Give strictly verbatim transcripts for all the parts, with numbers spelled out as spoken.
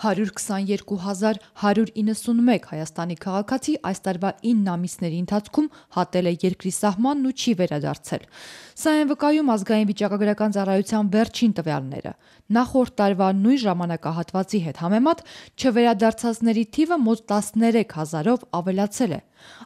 հարյուր քսաներկու հազար հարյուր իննսունմեկ Հայաստանի քաղաքացի այս տարվա ինը ամիսների ընթացքում հատել է երկրի սահմանն ու չի վերադարձել։ Սա են վկայում ազգային վիճակագրական ծառայության վերջին տվյալները։ Նախորդ տարվա նույն ժամանակահատվածի հետ համեմատ չվերադարձածների թիվը մոտ տասներեք հազարով ավելացել է։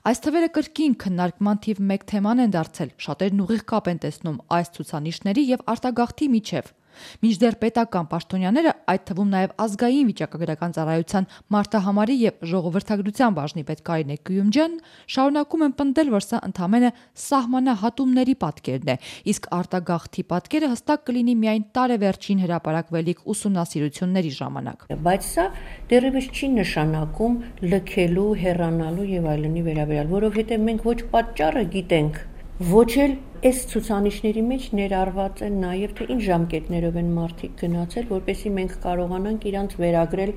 Այս թվերը կրկին քննարկման թիվ մեկ թեման են դարձել, շատերն ուղիղ կապ են տեսնում այս ցուցանիշների եւ արտագաղթի միջև։ Մինչդեռ պետական պաշտոնյաները, այդ թվում նաև ազգային վիճակագրական ծառայության մարդահամարի եւ ժողովրդագրության բաժնի պետ Կարինե Գյուլյումջյանն շարունակում են պնդել, որ սա ընդամենը սահմանահատումների պատկերն է, իսկ արտագաղթի պատկերը հստակ կլինի միայն տարեվերջին հրապարակվելիք ուսումնասիրությունների ժամանակ։ Բայց սա դեռևս չի նշանակում լքելու, հեռանալու եւ այլնի վերաբերյալ, որովհետեւ մենք ոչ պատճառը գիտենք, ոչ էլ այս ցուցանիշների մեջ ներառված են նաև թե ինչ ժամկետներով են մարդիկ գնացել, որպեսզի մենք կարողանանք իրանց վերագրել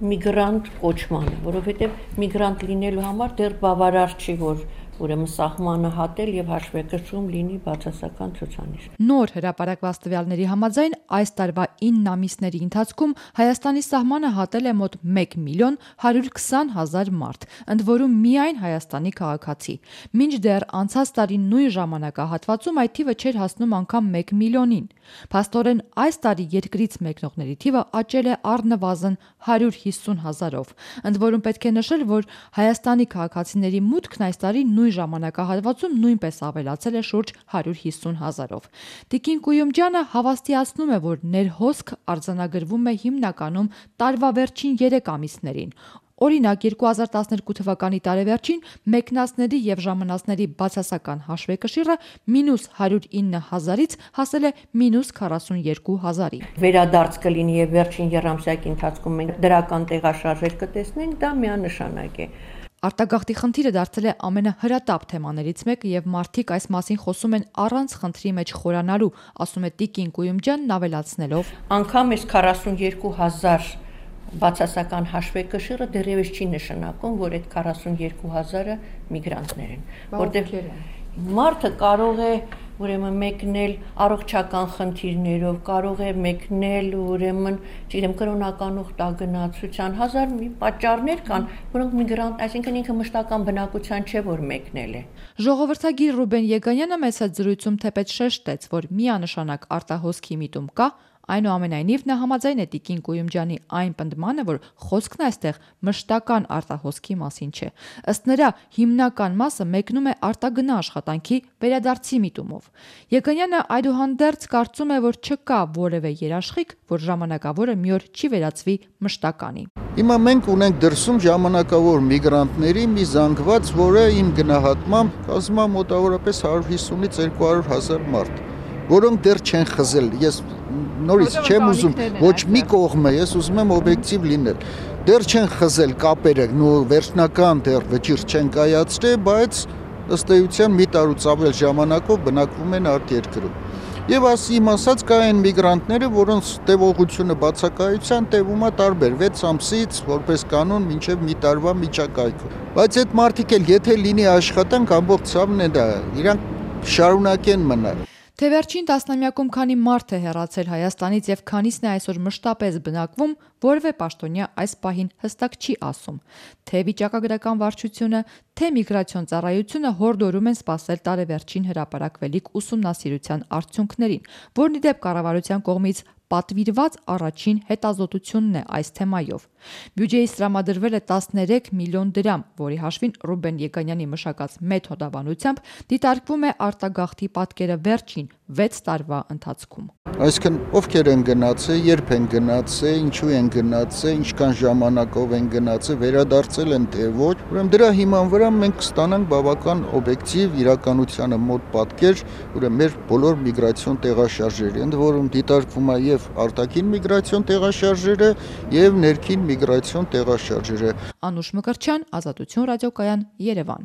միգրանտ կոչմանը, որովհետև միգրանտ լինելու համար դեռ բավարար չի, որ ուրեմն սահմանը հատել եւ հաշվեկշռում լինի բացասական ցուցանիշ։ Նոր հրապարակված տվյալների համաձայն այս տարվա ինը ամիսների ընթացքում Հայաստանի սահմանը հատել է մոտ մեկ միլիոն հարյուր քսան հազար մարդ, ընդ որում միայն Հայաստանի քաղաքացի։ Մինչդեռ անցած տարի նույն ժամանակահատվածում այդ թիվը չէր հասնում անգամ մեկ միլիոնին։ Փաստորեն այս տարի երկրից մեկնողների թիվը աճել է առնվազն հարյուր հիսուն հազարով։ Ընդ որում պետք է նշել, որ Հայաստանի քաղաքացիների մուտքն այս տարի նույն ժամանակահատվածում նույնպես ավելացել է շուրջ հարյուր հիսուն հազարով։ Տիկին Գյուլյումջյանը հավաստիացնում է, որ ներհոսք արձանագրվում է հիմնականում տարվա վերջին երեք ամիսներին։ Օրինակ երկու հազար տասներկու թվականի տարեվերջին մեկնածների եւ ժամանածների բացասական հաշվեկշիռը մինուս հարյուր ինը հազարից հասել է մինուս քառասունյոթ հազարի։ Վերադարձ կլինի եւ վերջին եռամսյակի ընթացքում մենք դրական տեղաշարժեր կտեսնենք, դա միանշանակ է։ Արտագաղթի խնդիրը դարձել է ամենահրատապ թեմաներից մեկը եւ մարդիկ այս մասին խոսում են առանց խնդրի մեջ խորանալու, ասում է Տիկին Գյուլյումջյանն ավելացնելով. Անկամ այս քառասունյոթ հազար բացասական հաշվեկշիռը դեռևս չի նշանակում, որ այդ քառասունյոթ հազարը միգրանտներ են, որտեղ մարդը կարող է ուրեմն մեկնել առողջական խնդիրներով, կարող է մեկնել ուրեմն, չգիտեմ, կրոնական ուխտագնացության, հազար մի պատճառներ կան, որոնք միգրանտ, այսինքն ինքը մշտական բնակության չէ, որ մեկնել է։ Ժողովրդագիր Ռուբեն Եգանյանը մեծ հետ զրույցում թեպետ շեշտեց, որ միանշանակ արտահոսքի միտում կա, այնուամենայնիվ նա համաձայն է Տիկին Գյուլյումջյանի այն պնդմանը, որ խոսքն այստեղ մշտական արտահոսքի մասին չէ։ Ըստ նրա, հիմնական մասը մեկնում է արտագնա աշխատանքի վերադարձի միտումով։ Եգանյանը այդուհանդերձ կարծում է, որ չկա որևէ երաշխիք, որ ժամանակավորը մի օր չի վերածվի մշտականի։ Հիմա մենք ունենք դրսում ժամանակավոր միգրանտների մի զանգված, որը իմ գնահատմամբ կազմա մոտավորապես հարյուր հիսունից երկու հարյուր հազար մարդ, որոնք դեռ չեն խզել։ Ես նորից չեմ ուզում ոչ մի կողմը, ես ուզում եմ օբյեկտիվ լինել։ Դեռ չեն խզել կապերը, նո վերջնական դեռ վճիռ չեն կայացրել, բայց ըստ էության մի տարուց ավել ժամանակով բնակվում են արտերկրում։ Եվ ասիմ ասած կա այն միգրանտները, որոնց տևողությունը բացակայության տևում է տարբեր վեց ամսից որպես կանոն մինչև մի տարվա միջակայքում։ Բայց այդ մարդիկ էլ եթե լինի աշխատանք, ամբողջ ցավն է դա, իրանք շարունակեն մնալ։ Թե վերջին տասնամյակում քանի մարդ է հեռացել Հայաստանից եւ քանիսն է այսօր մշտապես բնակվում, որևէ պաշտոնյա այս պահին հստակ չի ասում։ Թե վիճակագրական վարչությունը, թե միգրացիոն ծառայությունը հորդորում են սպասել տարեվերջին հրապարակվելիք ուսումնասիրության արդյունքներին, որն ի դեպ կառավարության կողմից պատվիրված առաջին հետազոտությունն է այս թեմայով։ Բյուջեից տրամադրվել է տասներեք միլիոն դրամ, որի հաշվին Ռուբեն Եգանյանի մշակած մեթոդաբանությամբ դիտարկվում է արտագաղթի պատկերը վերջին վեց տարվա ընթացքում։ Այսինքն ովքեր են գնացել, երբ են գնացել, ինչու են գնացել, ինչքան ժամանակով են գնացել, վերադարձել են թե ոչ։ Ուրեմն դրա հիման վրա մենք կստանանք բավական օբյեկտիվ իրականությանը մոտ պատկեր, ուրեմն մեր բոլոր միգրացիոն տեղաշարժերի, ընդ որում դիտարկվում է եւ արտաքին միգրացիոն տեղաշարժերը եւ ներքին միգրացիոն տեղաշարժերը։ Անուշ Մկրտչյան, Ազատություն ռադիոկայան, Երևան։